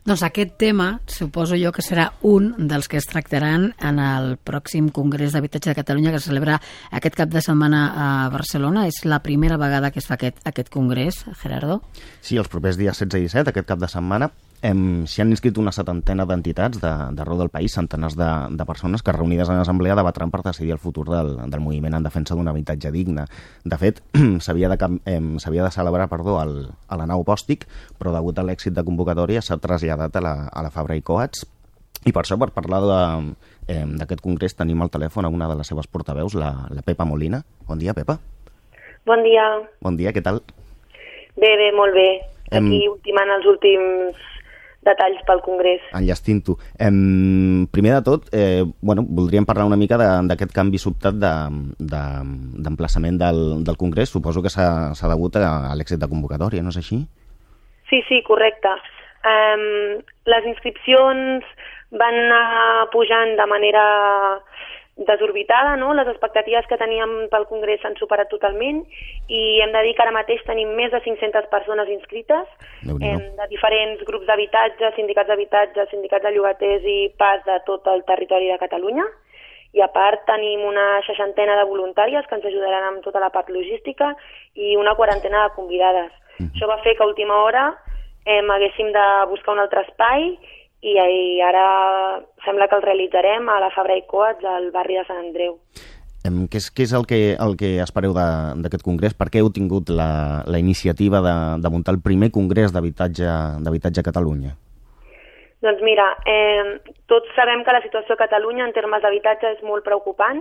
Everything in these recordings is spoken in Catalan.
Doncs aquest tema, suposo jo que serà un dels que es tractaran en el pròxim Congrés d'Habitatge de Catalunya que es celebra aquest cap de setmana a Barcelona. És la primera vegada que es fa aquest congrés, Gerardo? Sí, els propers dies 16 i 17, aquest cap de setmana, s'hi han inscrit una 70ena d'entitats d'arreu del país, centenars de persones que reunides en assemblea debatran per decidir el futur del moviment en defensa d'un habitatge digne. De fet, s'havia de celebrar a la nau Bòstic, però degut a l'èxit de convocatòria s'ha traslladat a la Fabra i Coats. I per això, per parlar d'aquest congrés, tenim al telèfon a una de les seves portaveus, la Pepa Molina. Bon dia, Pepa. Bon dia. Bon dia, què tal? Bé, molt bé. Aquí ultimant els últims detalls pel Congrés. Enllestint-ho. Primer de tot, voldríem parlar una mica d'aquest canvi sobtat d'emplaçament del Congrés. Suposo que s'ha degut a l'èxit de convocatòria, no és així? Sí, correcte. Les inscripcions van anar pujant de manera desorbitada, no? Les expectatives que teníem pel Congrés s'han superat totalment i hem de dir que ara mateix tenim més de 500 persones inscrites de diferents grups d'habitatge, sindicats d'habitatge, sindicats de llogaters i pas de tot el territori de Catalunya. I a part tenim una 60ena de voluntàries que ens ajudaran amb tota la part logística i una 40ena de convidades. Això va fer que a última hora haguéssim de buscar un altre espai i ara sembla que el realitzarem a la Fabra i Coats, al barri de Sant Andreu. Què és el que espereu d'aquest congrés? Per què heu tingut la iniciativa de muntar el primer congrés d'habitatge a Catalunya? Doncs mira, tots sabem que la situació a Catalunya en termes d'habitatge és molt preocupant.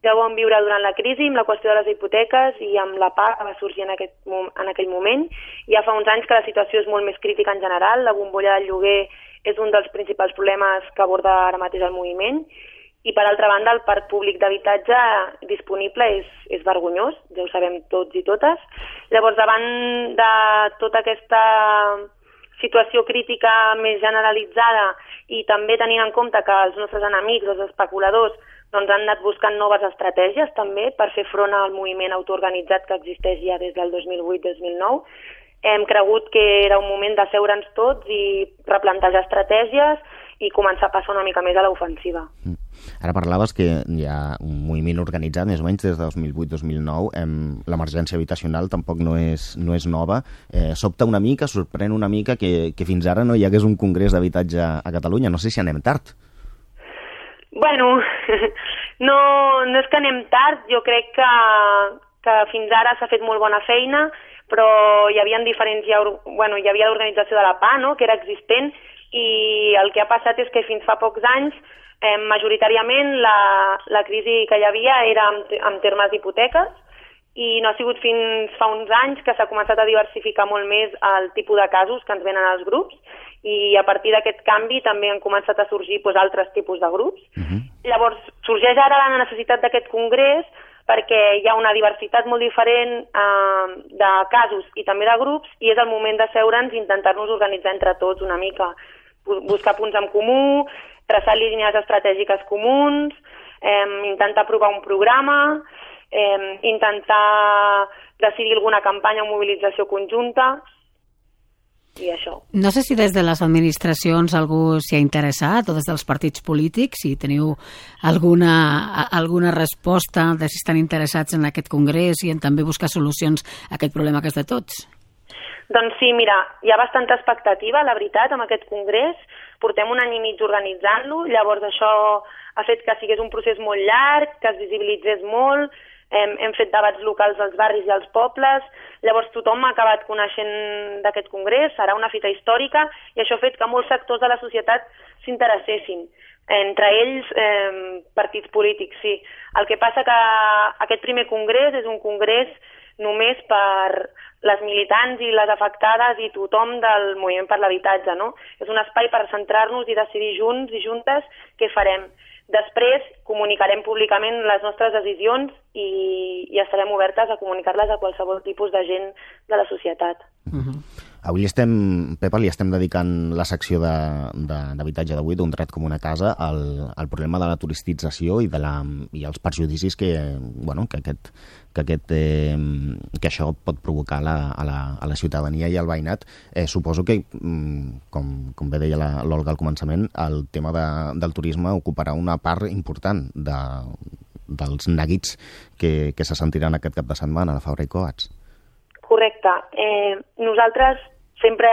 Ja ho vam viure durant la crisi amb la qüestió de les hipoteques i amb la PA que va sorgir en aquell moment. Ja fa uns anys que la situació és molt més crítica en general, la bombolla del lloguer és un dels principals problemes que aborda ara mateix el moviment i, per altra banda, el parc públic d'habitatge disponible és vergonyós, ja ho sabem tots i totes. Llavors, davant de tota aquesta situació crítica més generalitzada i també tenint en compte que els nostres enemics, els especuladors, han anat buscant noves estratègies també per fer front al moviment autoorganitzat que existeix ja des del 2008-2009, hem cregut que era un moment d'asseure'ns tots i replantejar estratègies i començar a passar una mica més a l'ofensiva. Ara parlaves que hi ha un moviment organitzat més o menys des de 2008-2009. L'emergència habitacional tampoc no és nova. Sobta una mica, sorprèn una mica que fins ara no hi hagués un congrés d'habitatge a Catalunya. No sé si anem tard. Bueno, no és que anem tard. Jo crec que fins ara s'ha fet molt bona feina, però hi havia l'organització de la PA, no?, que era existent, i el que ha passat és que fins fa pocs anys majoritàriament la crisi que hi havia era en termes d'hipoteques i no ha sigut fins fa uns anys que s'ha començat a diversificar molt més el tipus de casos que ens venen als grups i a partir d'aquest canvi també han començat a sorgir altres tipus de grups. Llavors sorgeix ara la necessitat d'aquest congrés perquè hi ha una diversitat molt diferent de casos i també de grups i és el moment d'asseure'ns i intentar-nos organitzar entre tots una mica, buscar punts en comú, traçar línies estratègiques comuns, intentar aprovar un programa, intentar decidir alguna campanya o mobilització conjunta i això. No sé si des de les administracions algú s'hi ha interessat o des dels partits polítics, si teniu alguna resposta de si estan interessats en aquest congrés i en també buscar solucions a aquest problema que és de tots. Doncs sí, mira, hi ha bastanta expectativa, la veritat, amb aquest congrés. Portem un any i mig organitzant-lo, llavors això ha fet que sigués un procés molt llarg, que es visibilitzés molt, hem fet debats locals als barris i als pobles, llavors tothom ha acabat coneixent d'aquest congrés, serà una fita històrica i això ha fet que molts sectors de la societat s'interessessin, entre ells partits polítics, sí. El que passa que aquest primer congrés és un congrés només per les militants i les afectades i tothom del moviment per l'habitatge, no? És un espai per centrar-nos i decidir junts i juntes què farem. Després comunicarem públicament les nostres decisions i estarem obertes a comunicar-les a qualsevol tipus de gent de la societat. Avui Pepa, li estem dedicant la secció d'habitatge d'avui, d'un dret com una casa, al problema de la turisticització i els perjudicis que això pot provocar a la ciutadania i al veïnat. Suposo que, com bé deia l'Olga al començament, el tema del turisme ocuparà una part important dels neguits que se sentiran aquest cap de setmana a la Fabra i Coats. Correcte. Nosaltres sempre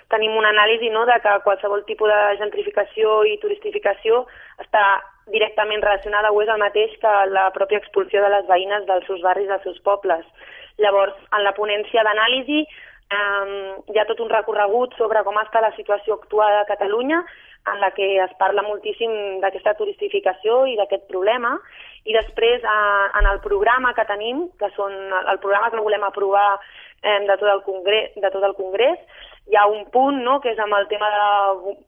tenim una anàlisi, no?, de que qualsevol tipus de gentrificació i turistificació està directament relacionada o és el mateix que la pròpia expulsió de les veïnes dels seus barris, dels seus pobles. Llavors, en la ponència d'anàlisi hi ha tot un recorregut sobre com està la situació actual a Catalunya, en la que es parla moltíssim d'aquesta turistificació i d'aquest problema, i després en el programa que tenim, que són el programa que volem aprovar de tot el Congrés, hi ha un punt, no?, que és amb el tema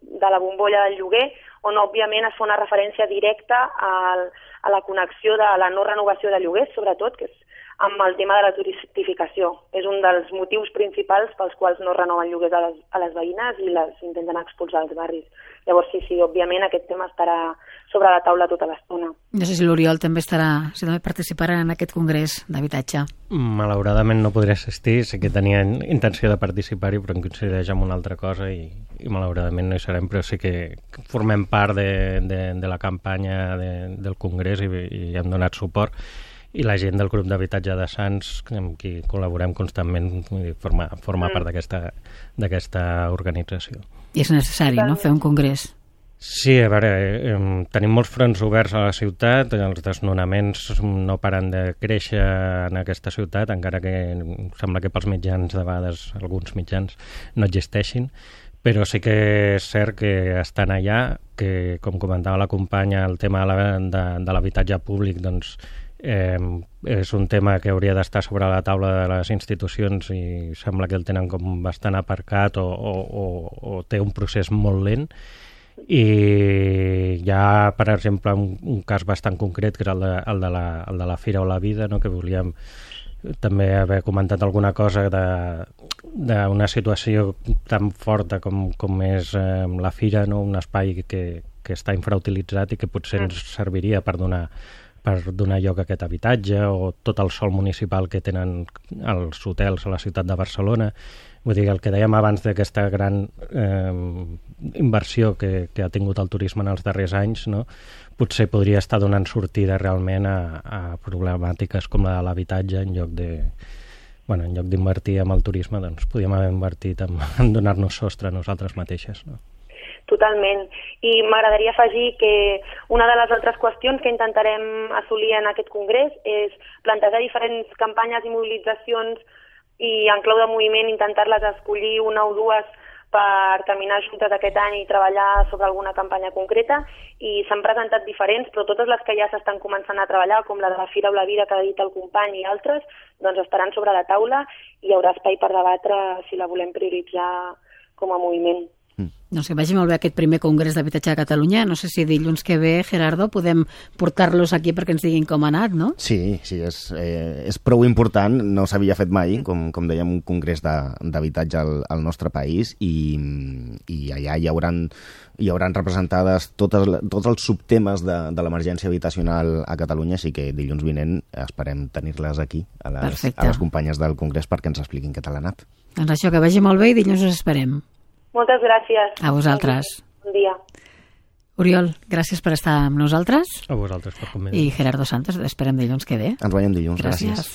de la bombolla del lloguer, on òbviament es fa una referència directa a la connexió de la no renovació de lloguers, sobretot, que és amb el tema de la turistificació. És un dels motius principals pels quals no renoven lloguers a les veïnes i les intenten expulsar dels barris. Llavors, sí, òbviament aquest tema estarà sobre la taula tota l'estona. No sé si l'Oriol també participarà en aquest congrés d'habitatge. Malauradament no podré assistir, sé que tenia intenció de participar-hi, però em coincideix amb una altra cosa i malauradament no hi serem, però sí que formem part de la campanya del congrés i hem donat suport. I la gent del grup d'habitatge de Sants, amb qui col·laborem constantment, forma part d'aquesta organització. I és necessari, no?, fer un congrés. Sí, a veure, tenim molts fronts oberts a la ciutat, els desnonaments no paren de créixer en aquesta ciutat, encara que sembla que pels mitjans, de vegades, alguns mitjans, no existeixin, però sí que és cert que estan allà, que, com comentava la companya, el tema de l'habitatge públic, doncs, és un tema que hauria d'estar sobre la taula de les institucions i sembla que el tenen com bastant aparcat o té un procés molt lent. I hi ha, per exemple, un cas bastant concret, que és el de la Fira o la Vida, no?, que volíem també haver comentat alguna cosa d'una situació tan forta com és la Fira, no?, un espai que està infrautilitzat i que potser ens serviria per donar lloc a aquest habitatge, o tot el sòl municipal que tenen els hotels a la ciutat de Barcelona. Vull dir, el que dèiem abans d'aquesta gran inversió que ha tingut el turisme en els darrers anys, no?, potser podria estar donant sortida realment a problemàtiques com la de l'habitatge, en lloc d'invertir en el turisme, doncs podríem haver invertit en donar-nos sostre a nosaltres mateixes, no? Totalment. I m'agradaria afegir que una de les altres qüestions que intentarem assolir en aquest congrés és plantejar diferents campanyes i mobilitzacions i en clau de moviment intentar-les escollir una o dues per caminar juntes aquest any i treballar sobre alguna campanya concreta, i s'han presentat diferents, però totes les que ja s'estan començant a treballar, com la de la Fira o la Vida que ha dit el company i altres, doncs estaran sobre la taula i hi haurà espai per debatre si la volem prioritzar com a moviment. No sé, vagi molt bé aquest primer congrés d'habitatge de Catalunya. No sé si dilluns que ve, Gerardo, podem portar-los aquí perquè ens diguin com ha anat, no? Sí, és prou important, no s'havia fet mai, com dèiem, un congrés d'habitatge al nostre país, i allà hi hauran representades tots els subtemes de l'emergència habitacional a Catalunya, així que dilluns vinent esperem tenir-les aquí, a les companyes del congrés, perquè ens expliquin què tal ha anat. Doncs això, que vagi molt bé i dilluns us esperem. Moltes gràcies. A vosaltres. Bon dia. Oriol, gràcies per estar amb nosaltres. A vosaltres per convidar. I Gerardo Santos, esperem dilluns que ve. Ens veiem dilluns, gràcies.